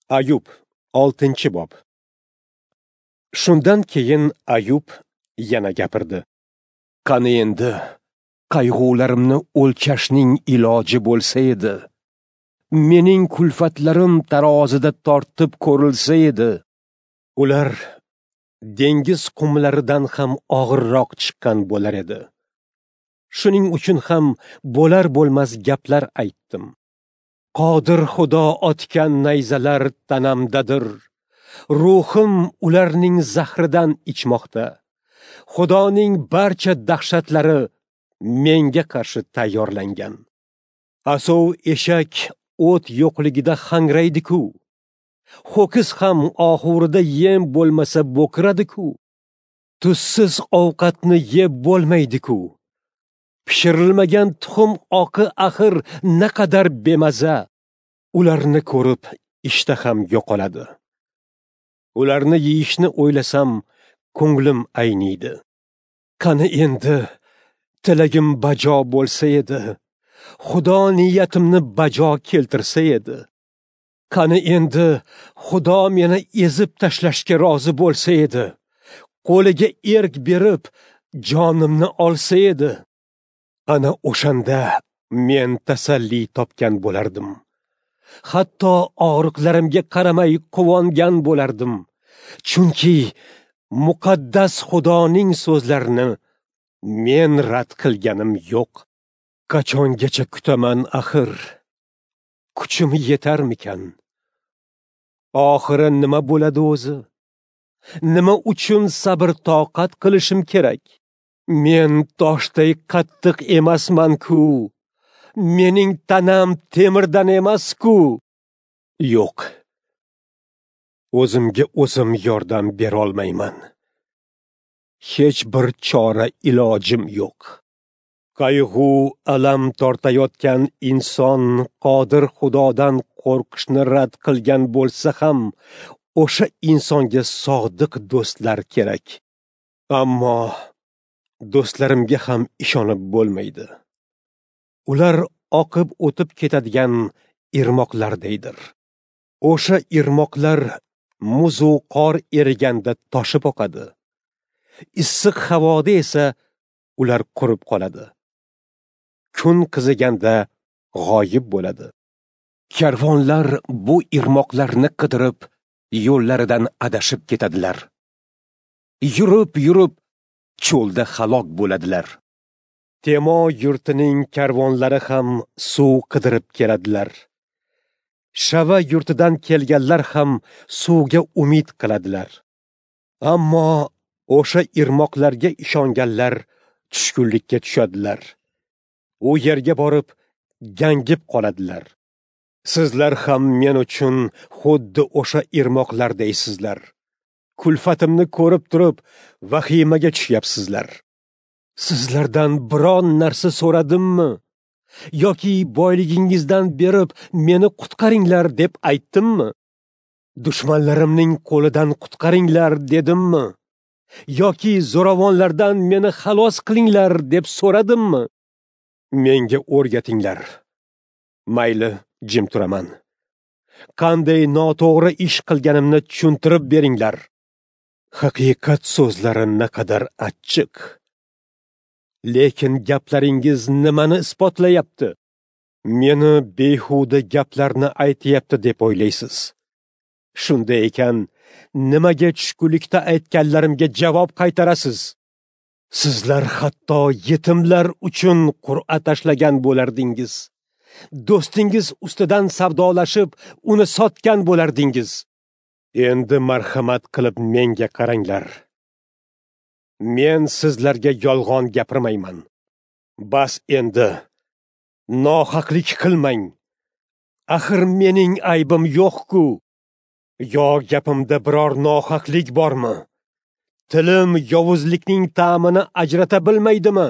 Ayub, 6-bob. Shundan keyin Ayub yana gapirdi. Qani endi qayg'ularimni o'lchashning iloji bo'lsa edi. Mening kulfatlarim tarozida tortib ko'rilsa edi. Ular dengiz qumlaridan ham og'irroq chiqqan bo'lar edi. Shuning uchun ham bo'lar bo'lmas gaplar aytdim. Qodir Xudo otgan nayzalar tanamdadir. Ruhim ularning zahridan ichmoqda. Xudoning barcha dahshatlari menga qarshi tayyorlangan. Asov eshak o't yo'qligida hangraydi-ku. Ho'kiz ham oxurida yem bo'lmasa bo'kiradi-ku. Tuzsiz ovqatni yeb bo'lmaydi-ku. Pishirilmagan tuxum oqi axir naqadar bemaza. Ularni ko'rib ishtaham yo'qoladi. Ularni yeyishni o'ylasam ko'nglim ayniydi. Qani endi tilagim bajo bo'lsa edi. Xudo niyatimni bajo keltirsa edi. Qani endi Xudo meni ezib tashlashga rozi bo'lsa edi. Qo'liga erk berib jonimni olsa edi. Ana o'shanda men tasalli topgan bo'lardim. Hatto og'riqlarimga qaramay quvongan bo'lardim. Chunki muqaddas Xudoning so'zlarini men rad qilganim yo'q. Qachongacha kutaman axir? Kuchim yetarmikan? Oxiri nima bo'ladi o'zi? Nima uchun sabr toqat qilishim kerak? Men toshday qattiq emasman-ku. Mening tanam temirdan emas-ku. Yo'q. O'zimga o'zim yordam bera olmayman. Hech bir chora ilojim yo'q. Qayg'u alam tortayotgan inson qodir Xudodan qo'rqishni rad qilgan bo'lsa ham, o'sha insonga sodiq do'stlar kerak. Ammo do'stlarimga ham ishonib bo'lmaydi. Ular oqib o'tib ketadigan irmoqlardaydir. O'sha irmoqlar muzu qor eriganda toshib oqadi. Issiq havoda esa ular qurib qoladi. Kun qiziganda g'oyib bo'ladi. Karvonlar bu irmoqlarni qidirib, yo'llaridan adashib ketadilar. Yurib-yurib cho'lda halok bo'ladilar. Temo yurtining karvonlari ham suv qidirib keladilar. Shava yurtidan kelganlar ham suvga umid qiladilar. Ammo o'sha irmoqlarga ishonganlar tushkunlikka tushadilar. U yerga borib gangib qoladilar. Sizlar ham men uchun xuddi o'sha irmoqlardaysizlar. Kulfatimni ko'rib turib vahimaga tushyapsizlar. Sizlardan biron narsa so'radimmi? Yoki boyligingizdan berib meni qutqaringlar deb aytdimmi? Dushmanlarimning qo'lidan qutqaringlar dedimmi? Yoki zo'ravonlardan meni xalos qilinglar deb so'radimmi? Menga o'rgatinglar. Mayli, jim turaman. Qanday noto'g'ri ish qilganimni tushuntirib beringlar. Haqiqat so'zlari naqadar achchiq. Lekin gaplaringiz nimani isbotlayapti? Meni behuda gaplarni aytyapti deb o'ylaysiz. Shunday ekan, nimaga tushkunlikda aytganlarimga javob qaytarasiz? Sizlar hatto yetimlar uchun qur'a tashlagan bo'lardingiz. Do'stingiz ustidan savdolashib, uni sotgan bo'lardingiz. Endi marhamat qilib menga qaranglar. Men sizlarga yolg'on gapirmayman. Bas endi nohaqlik qilmang. Axir mening aybim yo'q-ku. Yo gapimda biror nohaqlik bormi? Tilim yovuzlikning ta'mini ajrata bilmaydimi?